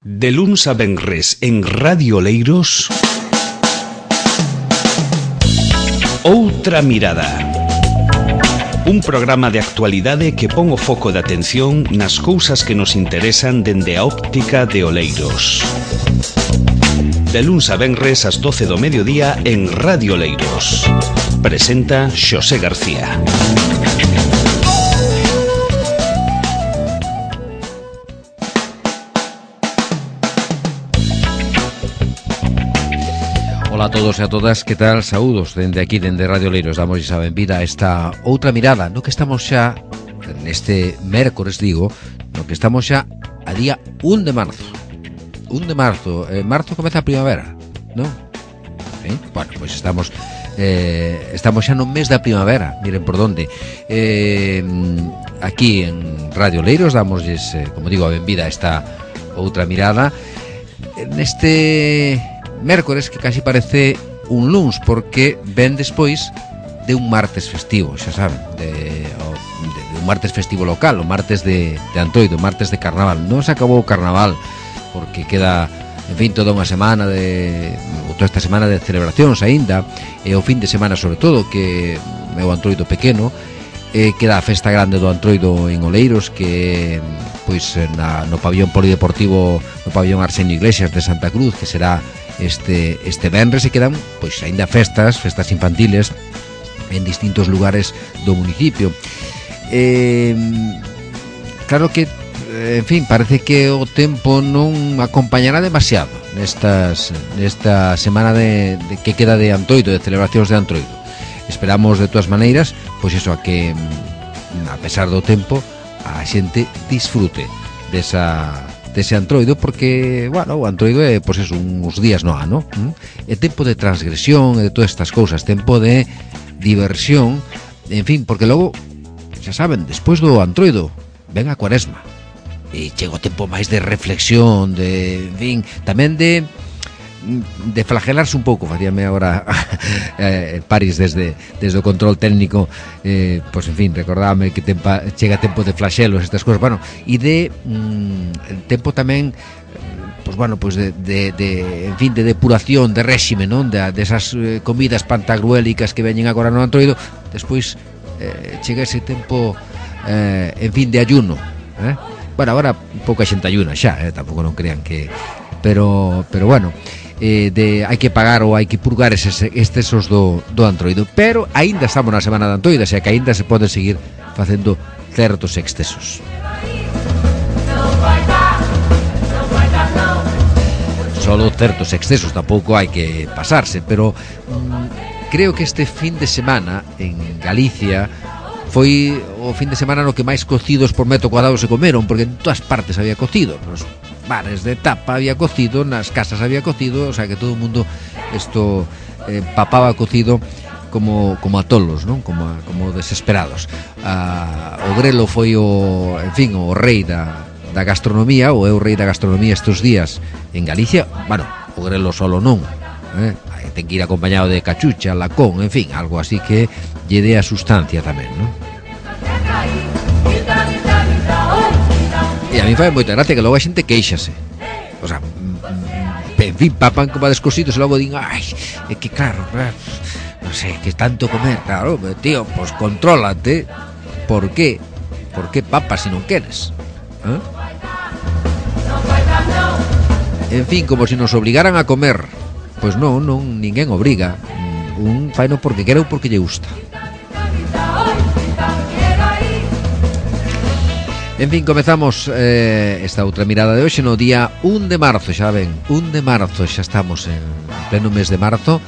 De luns a venres en Radio Oleiros, Outra Mirada. Un programa de actualidade que pon o foco de atención nas cousas que nos interesan dende a óptica de Oleiros. De luns a venres ás 12 do mediodía en Radio Oleiros. Presenta Xosé García. Ola a todos e a todas, que tal? Saúdos dende aquí, dende Radio Oleiros. Damos a benvida a esta outra mirada, no que estamos xa neste mércores, digo, no que estamos xa a día 1 de marzo. 1 de marzo, marzo comeza a primavera, non? ¿Sí? Bueno, pois estamos xa no mes da primavera, miren por donde. Aquí en Radio Oleiros damosles, como digo, a benvida a esta outra mirada neste mércores que casi parece un luns, porque ven despois de un martes festivo, xa saben, de un martes festivo local, o martes de Antoido, martes de Carnaval. Non se acabou o Carnaval porque queda, en fin, toda unha semana toda esta semana de celebracións aínda, e o fin de semana sobre todo, que é o Antoido pequeno, queda a festa grande do Antoido en Oleiros, que pois no pabillón polideportivo, no pabillón Arsenio Iglesias de Santa Cruz, que será este venres, e quedan pois aínda festas infantiles en distintos lugares do municipio. Claro que, en fin, parece que o tempo non acompañará demasiado nesta semana de que queda de Antoido, de celebracións de Antoido. Esperamos de todas maneiras, pois eso, a que a pesar do tempo a xente disfrute dese Antroido, porque, bueno, o Antroido é, pois eso, uns días no ano, é tempo de transgresión e de todas estas cousas, tempo de diversión, en fin, porque logo, xa saben, despois do Antroido ven a Cuaresma e chega o tempo máis de reflexión, de, en fin, tamén de flagelarse un pouco. Facíame agora París desde o control técnico, pois en fin, recordábame que chega tempo de flaxelos, estas cousas, bueno, e de tempo tamén, pois bueno, pois de en fin, de depuración, de réxime, non? Desas comidas pantagruélicas que veñen agora no Antroido. Despois chega ese tempo, en fin, de ayuno, bueno, agora pouca xente ayuna xa, tampouco non crean que, pero bueno, hai que pagar ou hai que purgar estes excesos do Antroido, pero aínda estamos na semana de Antoido, xa que aínda se pode seguir facendo certos excesos. Solo certos excesos, tampouco hai que pasarse, pero creo que este fin de semana en Galicia foi o fin de semana no que máis cocidos por metro cuadrado se comeron, porque en todas partes había cocido, nos bares de tapa había cocido, nas casas había cocido, o sea que todo o mundo papaba cocido como a tolos, non? Como desesperados. O grelo foi en fin, o rei da gastronomía, ou é o rei da gastronomía estes días en Galicia. Bueno, o grelo solo non, ten que ir acompañado de cachucha, lacón, en fin, algo así que lle dé a sustancia tamén, non? E a mí fai moita gracia que logo a xente queixase, o sea, en fin, papan como a descosidos e logo din, ai, é que claro, non sei, que tanto comer, claro, tío, pois contrólate. Por qué? Por que papas se non queres? En fin, como se nos obligaran a comer. Pois non, ninguén obriga, un faino porque quere ou porque lle gusta. En fin, comezamos esta outra mirada de hoxe no día 1 de marzo, xa ven, 1 de marzo, xa estamos en pleno mes de marzo.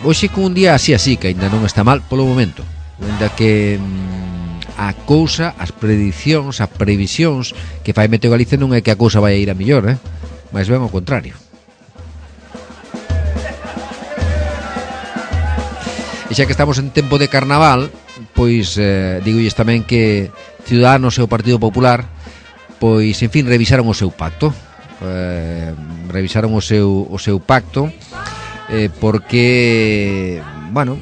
Hoxe con un día así, que ainda non está mal polo momento, ainda que a cousa, as predicións, as previsións que fai Meteo Galicia non é que a cousa vai a ir a mellor, máis ben ao contrario. E xa que estamos en tempo de Carnaval, pois digolles tamén que Ciudadanos e o Partido Popular, pois, en fin, revisaron o seu pacto. Revisaron o seu pacto porque, bueno,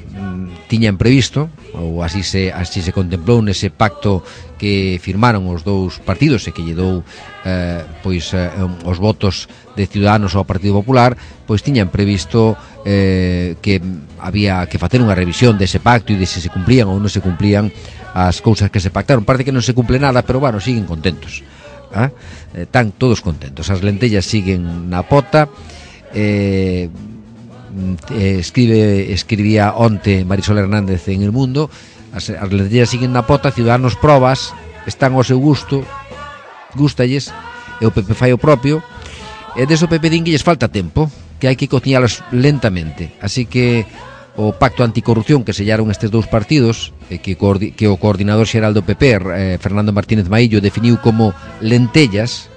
tiñan previsto ou así se contemplou nese pacto que firmaron os dous partidos e que lle dou os votos de Ciudadanos ao Partido Popular, pois tiñan previsto que había que facer unha revisión dese pacto e de se cumplían ou non se cumplían as cousas que se pactaron. Parece que non se cumple nada, pero bueno, siguen contentos. Están todos contentos. As lentellas siguen na pota. Escribía onte Marisol Hernández en El Mundo, as lentellas siguen na pota, Ciudadanos probas, están ao seu gusto, gústalles, e o PP fai o propio, e deso PP din que lles falta tempo, que hai que cociñalas lentamente. Así que o pacto anticorrupción que sellaron estes dous partidos, que o coordinador xeral do PP, Fernando Martínez Maillo, definiu como lentellas,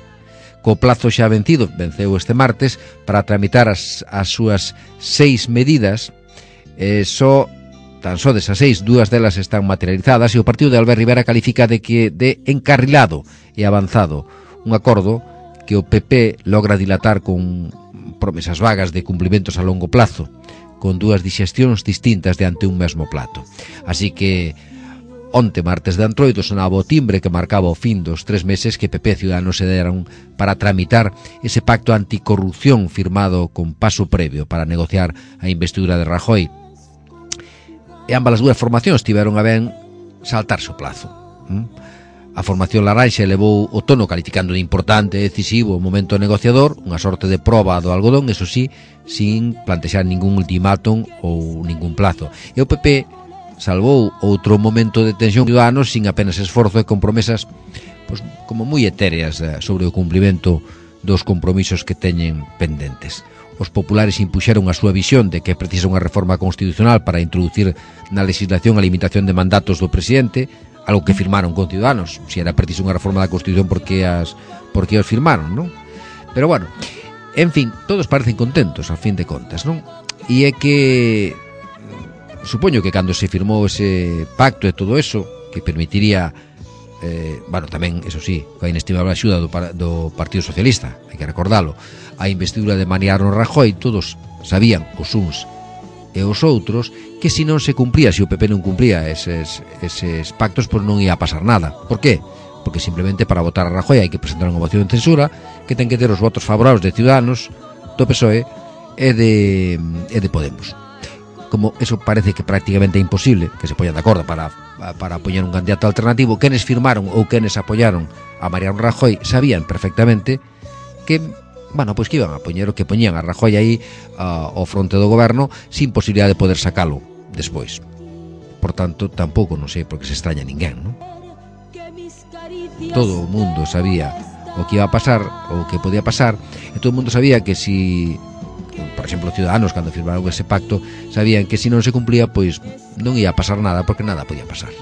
co plazo xa venceu este martes, para tramitar as súas 6 medidas. Tan só desas 6, 2 delas están materializadas, e o partido de Albert Rivera califica de encarrilado e avanzado un acordo que o PP logra dilatar con promesas vagas de cumprimentos a longo plazo, con dúas dixestións distintas diante un mesmo plato. Así que onte, martes de Antroido, sonaba o timbre que marcaba o fin dos 3 meses que PP e Ciudadanos se deron para tramitar ese pacto anticorrupción firmado con paso previo para negociar a investidura de Rajoy. E ambas as dúas formacións tiveron a ben saltarse o plazo. A formación laranxa elevou o tono calificando de importante e decisivo o momento negociador, unha sorte de proba do algodón, eso sí, sin plantexar ningún ultimátum ou ningún plazo. E o PP salvou outro momento de tensión Ciudadanos sin apenas esforzo e con promesas como moi etéreas sobre o cumprimento dos compromisos que teñen pendentes. Os populares impuxeron a súa visión de que precisa unha reforma constitucional para introducir na legislación a limitación de mandatos do presidente, algo que firmaron con Ciudadanos. Se era preciso unha reforma da Constitución, por que os firmaron, non? Pero bueno, en fin, todos parecen contentos, a fin de contas, non? E é que supoño que cando se firmou ese pacto e todo eso, que permitiría tamén, eso sí, coa inestimable axuda do Partido Socialista, hai que recordalo, a investidura de Mariano Rajoy, todos sabían, os uns e os outros, que se non se cumplía, se o PP non cumplía eses pactos, pois non ia a pasar nada. Por qué? Porque simplemente para votar a Rajoy hai que presentar unha moción de censura que ten que ter os votos favorables de Ciudadanos, do PSOE e de Podemos. Como eso parece que prácticamente é imposible que se poñan de acordo para apoiar un candidato alternativo, quenes firmaron ou quenes apoiaron a Mariano Rajoy sabían perfectamente que pois que iban a poñer o que poñían a Rajoy aí ao fronte do goberno sin posibilidade de poder sacalo despois. Por tanto, tampouco non sei por que se extraña ninguén, non? Todo o mundo sabía o que iba a pasar, o que podía pasar, e todo o mundo sabía que si, por exemplo, Ciudadanos, cando firmaron ese pacto, sabían que si non se cumplía, pois non ia a pasar nada, porque nada podía pasar.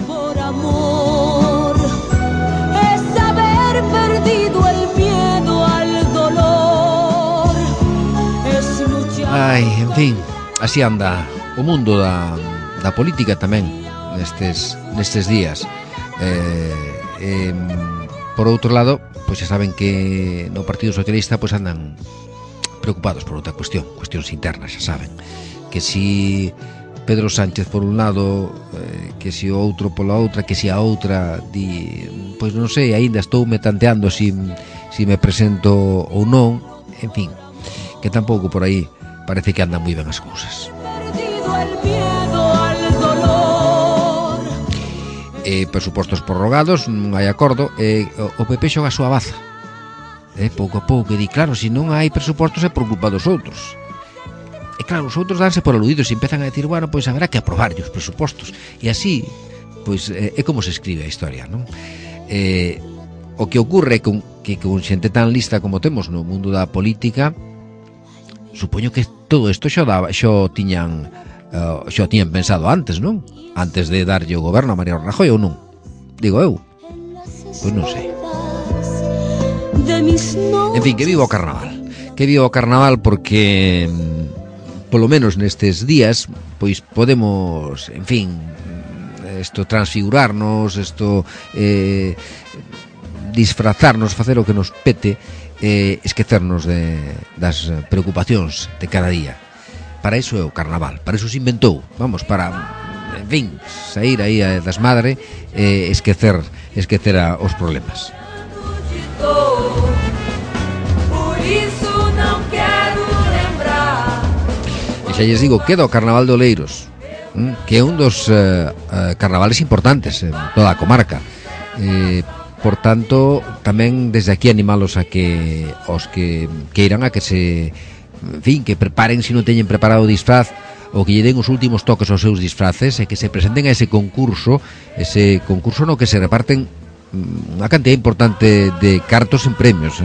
Por amor es haber perdido el miedo al dolor, es luchar. Ai, en fin, así anda o mundo da política tamén nestes días. Por outro lado, pois xa saben que no Partido Socialista pois andan preocupados por outra cuestións internas, xa saben, que si Pedro Sánchez por un lado, que si o outro pola outra, que si a outra di, pois non sei, aínda estou me tanteando si me presento ou non, en fin, que tampouco por aí parece que andan moi ben as cousas. Presupostos prorrogados, non hai acordo, o PP xoga a súa baza, pouco a pouco, e di, claro, se non hai presupostos é por culpa dos outros. E claro, os outros danse por aludidos e empezan a decir, bueno, pois haberá que aprobar os presupostos. E así, pois, é como se escribe a historia, non? O que ocorre é que con xente tan lista como temos no mundo da política, supoño que todo isto xa tiñan pensado antes, non? Antes de darlle o goberno a Mariano Rajoy, ou non? Digo eu. Pois non sei. En fin, que viva o carnaval. Que viva o carnaval, porque polo menos nestes días pois podemos, en fin, transfigurarnos, disfrazarnos, facer o que nos pete, esquecernos das preocupacións de cada día. Para iso é o carnaval, para iso se inventou, para en fin, sair aí a desmadre, esquecer os problemas. E xa lles digo, queda o Carnaval de Oleiros, que é un dos carnavales importantes en toda a comarca. Por tanto, tamén desde aquí animalos a que os que queiran a que se, en fin, que preparen, se non teñen preparado o disfraz, ou que lle den os últimos toques aos seus disfraces, e que se presenten a ese concurso no que se reparten unha cantidad importante de cartos en premios,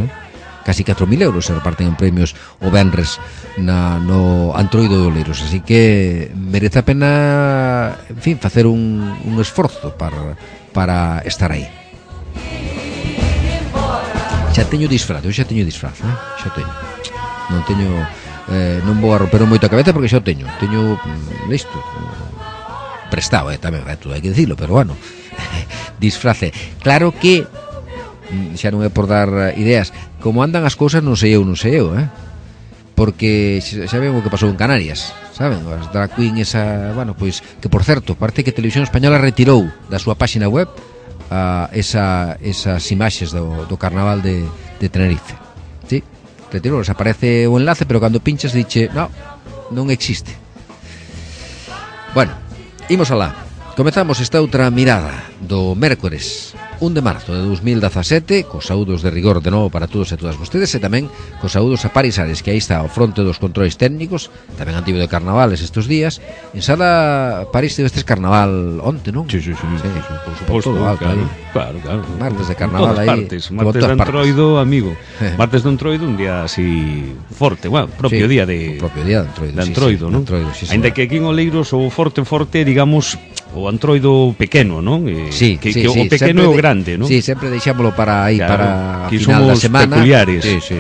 casi 4.000 euros se reparten en premios o venres no Antroido de Oleiros, así que merece a pena, en fin, facer un esforzo para estar aí. Xa teño disfraz, xa teño. Non vou a romper moito a cabeza porque xa o teño listo, prestado, tamén, todo hai que dicilo, pero bueno, disfrace. Claro que xa non é por dar ideas, como andan as cousas non sei eu, porque xa ven o que pasou en Canarias, saben, as drag queen esa, bueno, pois, que por certo, parece que Televisión Española retirou da súa páxina web esas imaxes do Carnaval de Tenerife. Sí, retirou, aparece o enlace, pero cando pinchas diche, non existe. Bueno, imos alá. Comezamos esta outra mirada do mércores 1 de marzo de 2017, cos saúdos de rigor de novo para todos e todas vostedes, e tamén cos saúdos a Paris Ares, que aí está ao fronte dos controis técnicos, tamén antivo de carnavales estes días. En Sala París tivestes carnaval onte, non? Sí. Por suposto, claro. Martes de carnaval aí. Martes de Antroido, amigo. Martes de Antroido, un día así forte, bueno, propio día de Antroido, non? Ainda que aquí en Oleiros o forte, digamos, o Antroido pequeno, non? Que o pequeno é o grande, non? Sí, sempre deixámolo para aí, para que final da semana. Peculiares. Sí.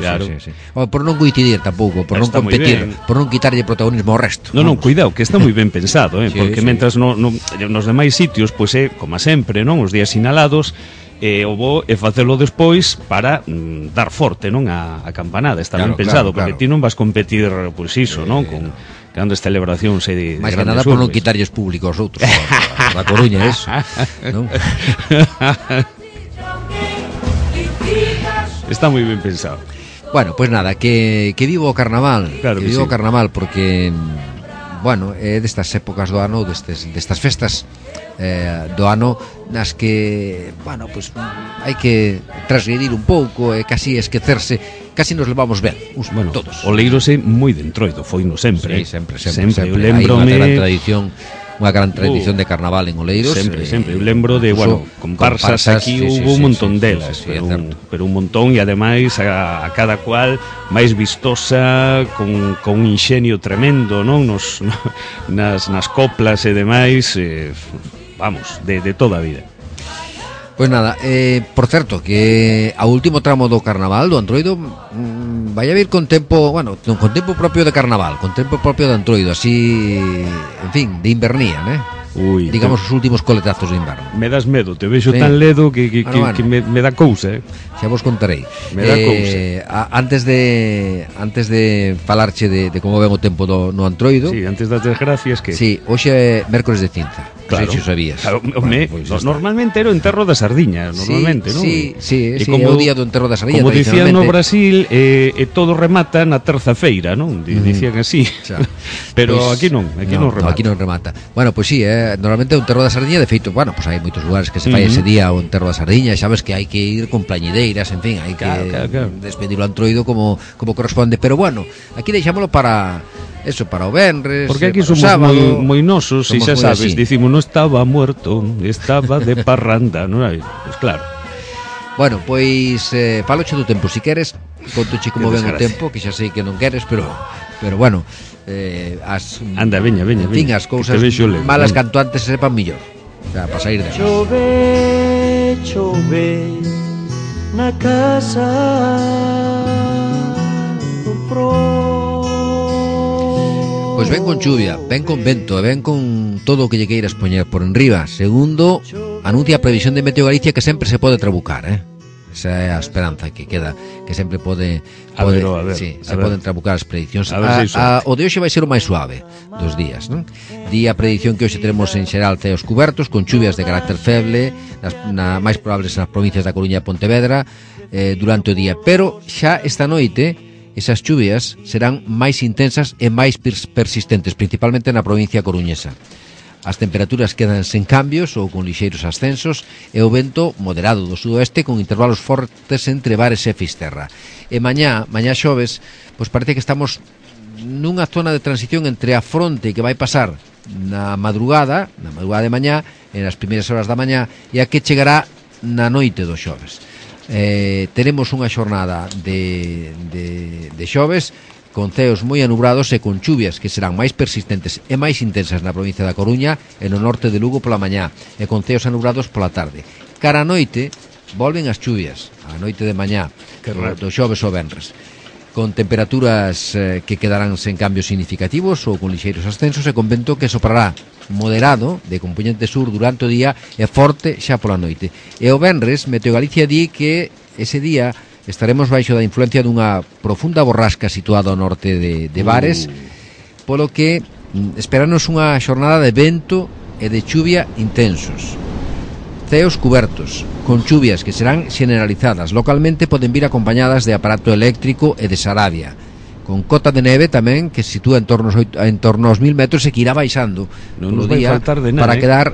Por non coincidir tampouco, por non competir, por non quitarlle protagonismo ao resto. Non, cuidado, que está moi ben pensado, porque mentras nos demais sitios, pois é, como sempre, non? Os días sinalados, o bo é facelo despois para dar forte, non? A campanada, está ben pensado, porque ti non vas competir, pois iso, non? Con grandes celebracións de máis que nada por non quitarlles público aos outros da Coruña, eso, non? Está moi ben pensado. Bueno, pues nada, que vivo o carnaval, claro que vivo sí. O carnaval, porque bueno, é destas épocas do ano, destas festas do ano nas que, bueno, pues hai que transgredir un pouco e casi esquecerse, casi nos levamos ben, todos. Oleiros é moi de Entroido, foi no sempre. Sí, sempre. Eu lembrome unha gran tradición de carnaval en Oleiros. Sempre. Eu lembro de, comparsas aquí hubo un montón delas, pero un montón, e ademais a cada cual máis vistosa, con un inxenio tremendo, non? Nas coplas e demais, vamos, de toda a vida. Pois nada, por certo, que ao último tramo do carnaval do Antroido vai a vir con tempo, con tempo propio de carnaval, con tempo propio de Antroido, así, en fin, de invernía, digamos os últimos coletazos de inverno. Me das medo, te vexo tan ledo que me dá cousa, Xa vos contarei. Me dá cousa. Antes de falarche de como ven o tempo no Antroido. Sí, antes das desgracias que... Sí, hoxe é mércores de cinza. Claro. Non sei se sabías. Claro, normalmente era o enterro da sardiña, normalmente, non? Sí, é o día do enterro da sardiña. Como dicían no Brasil, todo remata na terza feira, non? Dicían así. Pero aquí non remata. Aquí non remata. Bueno, pois sí, normalmente o enterro da sardiña, de feito, pois hai moitos lugares que se fai ese día o enterro da sardiña, sabes que hai que ir con plañideiras, en fin, hai que despedir o Antroido como corresponde, pero bueno, aquí deixámoslo para o venres, porque aquí somos moi nosos, e xa sabes, dicimos, non estaba muerto, estaba de parranda, non hai? Pois claro. Bueno, pois faloche do tempo, si queres, contoche como ven o tempo, que xa sei que non queres, pero bueno, anda, veña. En fin, as cousas malas canto antes sepan millor. O sea, para sair de chove na casa do pro. Pois ven con chuvia, ven con vento e ven con todo o que lle queiras poñer por enriba. Segundo, anuncia a previsión de Meteo Galicia que sempre se pode trabucar, Esa é a esperanza que queda, que sempre pode poden trabucar as prediccións. O de hoxe vai ser o máis suave dos días, non? Di a predicción que hoxe teremos en xeral ceos cubertos, con chuvias de carácter feble, máis probables nas provincias da Coruña e Pontevedra durante o día, pero xa esta noite esas chuvias serán máis intensas e máis persistentes, principalmente na provincia coruñesa. As temperaturas quedan sen cambios ou con lixeiros ascensos e o vento moderado do sudoeste con intervalos fortes entre Bares e Fisterra. E mañá xoves, pois parece que estamos nunha zona de transición entre a fronte que vai pasar na madrugada de mañá, en as primeiras horas da mañá, e a que chegará na noite do xoves. Teremos unha xornada de xoves con ceos moi anubrados e con chuvias que serán máis persistentes e máis intensas na provincia da Coruña e no norte de Lugo pola mañá e con ceos anubrados pola tarde. Cara a noite volven as chuvias, a noite de mañá do xoves ao venres, con temperaturas que quedarán sen cambios significativos ou con lixeiros ascensos e con vento que soprará moderado de componente sur durante o día e forte xa pola noite. E o venres Meteo Galicia di que ese día estaremos baixo da influencia dunha profunda borrasca situada ao norte de Bares, polo que esperanos unha xornada de vento e de chuvia intensos. Ceos cubertos, con chuvias que serán generalizadas. Localmente poden vir acompañadas de aparato eléctrico e de sarabia, con cota de neve tamén que se sitúa en torno aos 1000 metros e que irá baixando polo día para quedar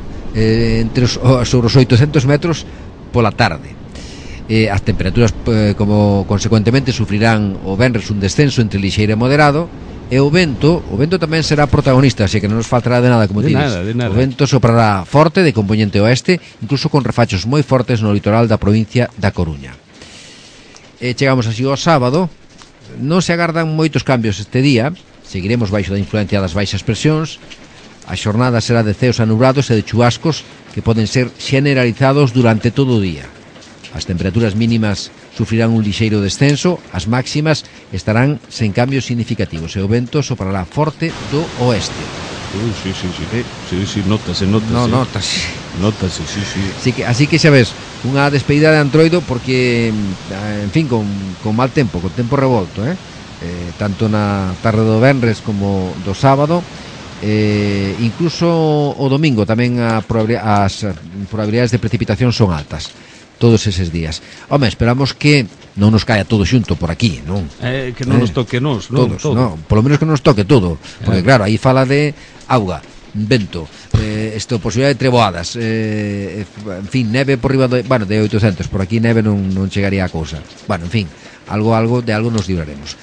sobre os 800 metros pola tarde. As temperaturas como consecuentemente sufrirán o venres un descenso entre lixeiro e moderado, e o vento tamén será protagonista, así que non nos faltará de nada, como ti dices. O vento soprará forte de componente oeste, incluso con refachos moi fortes no litoral da provincia da Coruña. Chegamos así ao sábado. Non se agardan moitos cambios este día, seguiremos baixo da influencia das baixas presións. A xornada será de ceos anubrados e de chubascos que poden ser generalizados durante todo o día. As temperaturas mínimas sufrirán un lixeiro descenso, as máximas estarán sen cambios significativos e o vento soprará forte do oeste. Sí, notase. Así que xa ves, unha despedida de Antroido porque, en fin, con mal tempo, con tempo revolto, tanto na tarde do venres como do sábado. Incluso o domingo tamén as probabilidades de precipitación son altas todos eses días. Home, esperamos que non nos caia todo xunto por aquí, non? Que non nos toque nos, non? Todos, non, polo menos que non nos toque todo, porque claro, aí fala de auga, vento, posibilidade de treboadas, en fin, neve por riba de 800, por aquí neve non chegaría a cousa. Bueno, en fin, algo nos libraremos.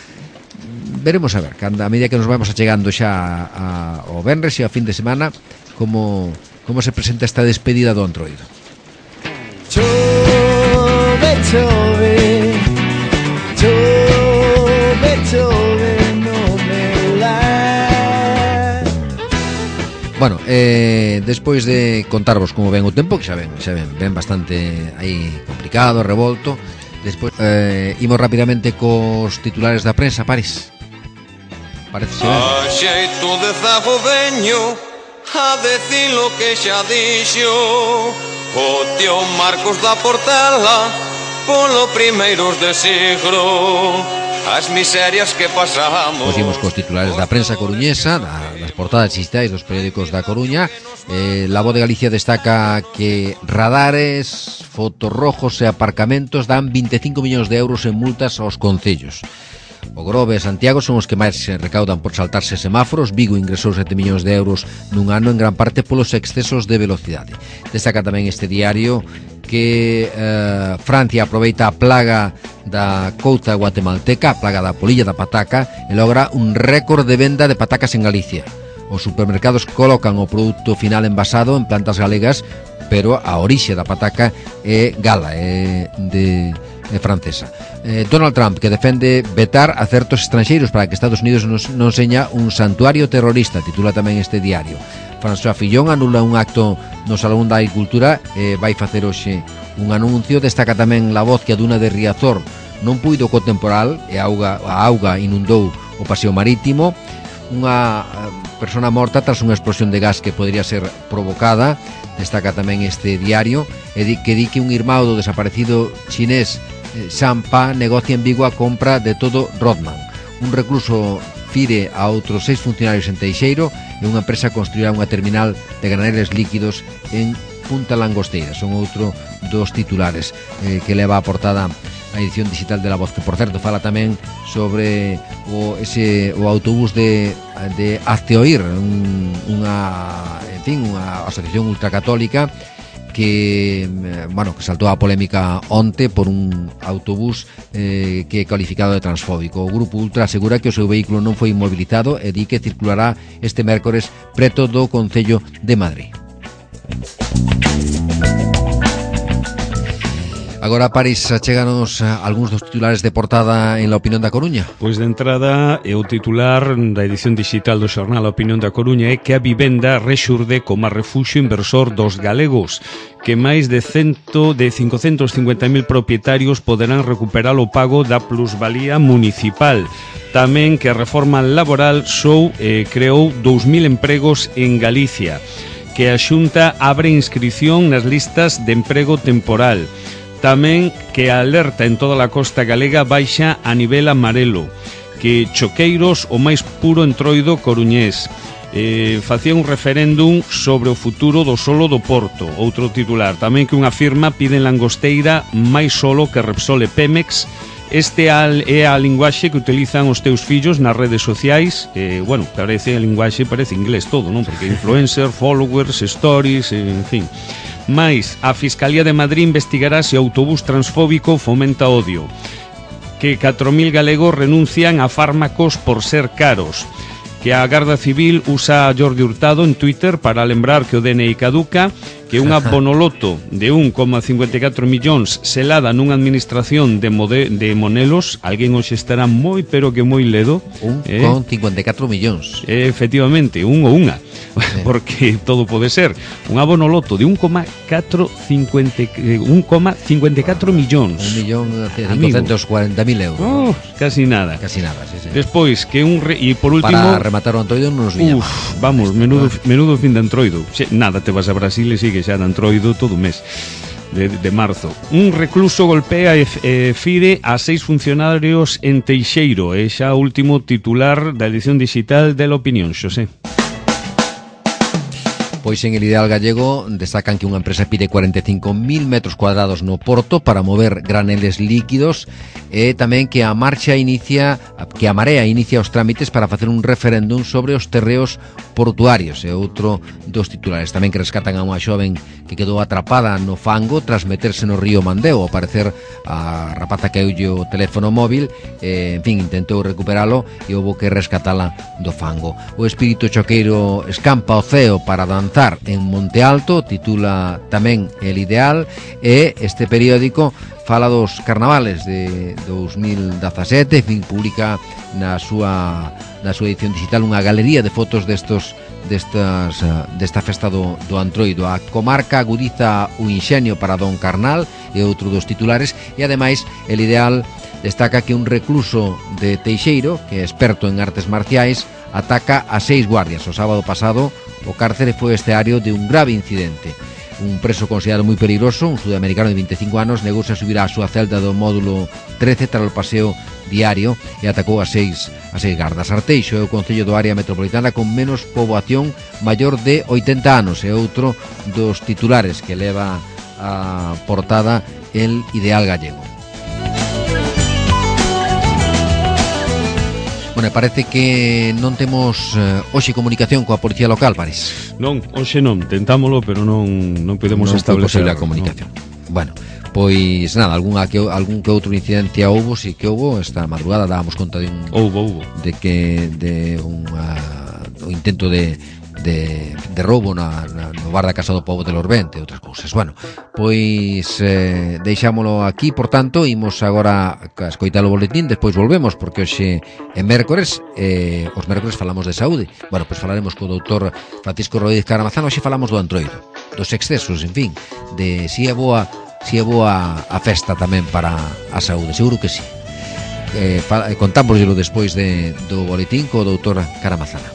Veremos a ver, a medida que nos vamos achegando xa ao venres e ao fin de semana, como se presenta esta despedida do Antroido. Chove, non me la. Bueno, despois de contarvos como ven o tempo, que xa ven bastante aí complicado, revolto. Despois imos rapidamente cos titulares da prensa, París. Parece ser. A xeito de zago veño a decir lo que xa dixo o tío Marcos da Portela polo primeiros de siglo. As miserias que pasamos. Pois imos cos titulares da prensa coruñesa, das portadas digitais dos periódicos da Coruña. La Voz de Galicia destaca que radares, fotorrojos e aparcamentos dan 25 millóns de euros en multas aos concellos. O Grove e Santiago son os que máis se recaudan por saltarse semáforos. Vigo ingresou 7 millóns de euros nun ano, en gran parte polos excesos de velocidade. Destaca tamén este diario que Francia aproveita a plaga da couta guatemalteca, a plaga da polilla da pataca, e logra un récord de venda de patacas en Galicia. Os supermercados colocan o produto final envasado en plantas galegas, pero a orixe da pataca é gala, é francesa. Donald Trump, que defende vetar a certos estranxeiros para que Estados Unidos non seña un santuario terrorista, titula tamén este diario. François Fillon anula un acto no Salón da Agricultura e vai facer hoxe un anuncio. Destaca tamén La Voz que a duna de Riazor non puido co temporal e a auga inundou o paseo marítimo. Unha persona morta tras unha explosión de gas que podría ser provocada. Destaca tamén este diario que di que un irmão do desaparecido chinés Sampa negocia en Vigo a compra de todo Rodman. Un recluso fire a outros 6 funcionarios en Teixeiro e unha empresa construirá unha terminal de graneles líquidos en Punta Langosteira. Son outro dos titulares que leva a portada a edición digital de La Voz, que por certo fala tamén sobre o autobús de Hazteoír, unha asociación ultracatólica que saltou a polémica onte por un autobús que é cualificado de transfóbico. O Grupo Ultra asegura que o seu vehículo non foi inmobilizado e di que circulará este mércores preto do Concello de Madrid. Agora, París, achéganos algúns dos titulares de portada en La Opinión da Coruña. Pois de entrada, o titular da edición digital do xornal A Opinión da Coruña é que a vivenda rexurde como refuxio inversor dos galegos, que máis de 550.000 propietarios poderán recuperar o pago da plusvalía municipal. Tamén que a reforma laboral creou 2.000 empregos en Galicia, que a Xunta abre inscrición nas listas de emprego temporal. Tamén que a alerta en toda a costa galega baixa a nivel amarelo, que Choqueiros o máis puro entroido coruñés. Facía un referéndum sobre o futuro do solo do Porto. Outro titular, tamén que unha firma pide en Langosteira máis solo que Repsol e Pemex. Este é a linguaxe que utilizan os teus fillos nas redes sociais. Parece a linguaxe, parece inglés todo, non? Porque influencer, followers, stories, en fin. Mais, a Fiscalía de Madrid investigará se o autobús transfóbico fomenta odio. Que 4.000 galegos renuncian a fármacos por ser caros. Que a Garda Civil usa a Jordi Hurtado en Twitter para lembrar que o DNI caduca. Que unha bonoloto de 1,54 millóns selada nunha administración de Monelos. Alguén hoxe estará moi, pero que moi ledo. 1,54 millóns. Efectivamente, un ou unha. Porque todo pode ser. Unha bonoloto de 1,54 millóns. 1.540.000 euros. Casi nada. Casi nada, sí. Despois, que e por último... Para rematar o Antroido non nos viña. Vamos, menudo fin de Antroido. Nada, te vas a Brasil e sigue xa de Antroido todo o mes de marzo. Un recluso golpea e fire a 6 funcionarios en Teixeiro. É xa o último titular da edición digital de La Opinión, Xosé. Pois en El Ideal Gallego destacan que unha empresa pide 45.000 metros cuadrados no Porto para mover graneles líquidos e tamén que a Marea inicia os trámites para facer un referéndum sobre os terreos portuarios. É outro dos titulares. Tamén que rescatan a unha xoven que quedou atrapada no fango tras meterse no río Mandeo. Ao parecer a rapaza caeulle o teléfono móvil, intentou recuperalo e houve que rescatala do fango. O espírito choqueiro escampa o ceo para danzar en Monte Alto, titula tamén El Ideal, e este periódico fala dos carnavales de 2017, publica na súa edición digital unha galería de fotos desta festa do Antroido. A comarca agudiza o inxenio para Don Carnal, e outro dos titulares, e ademais El Ideal destaca que un recluso de Teixeiro, que é experto en artes marciais, ataca a 6 guardias. O sábado pasado o cárcere foi escenario de un grave incidente. Un preso considerado moi peligroso, un sudamericano de 25 anos, negouse a subir á súa celda do módulo 13 tras o paseo diario e atacou a 6 gardas. Arteixo é o concello do área metropolitana con menos poboación maior de 80 anos. É outro dos titulares que leva a portada El Ideal Gallego. Parece que non temos hoxe comunicación coa policía local, París. Non, hoxe non, tentámolo, pero non podemos establecer a comunicación. Bueno, pois nada, algún que outro incidencia houbo, si que houbo, esta madrugada dábamos conta de un intento de roubo no bar da Casa do Pobo de Lorbente e outras cousas. Bueno, pois deixámolo aquí, por tanto, imos agora a escoitar o boletín, despois volvemos, porque hoxe é mércores, os mércores falamos de saúde. Bueno, pois falaremos co doutor Francisco Rodríguez Caramazán. Hoxe falamos do Antroido, dos excesos, en fin, de si é boa a festa tamén para a saúde, seguro que sí. Contámoslo despois do boletín co doutor Caramazán.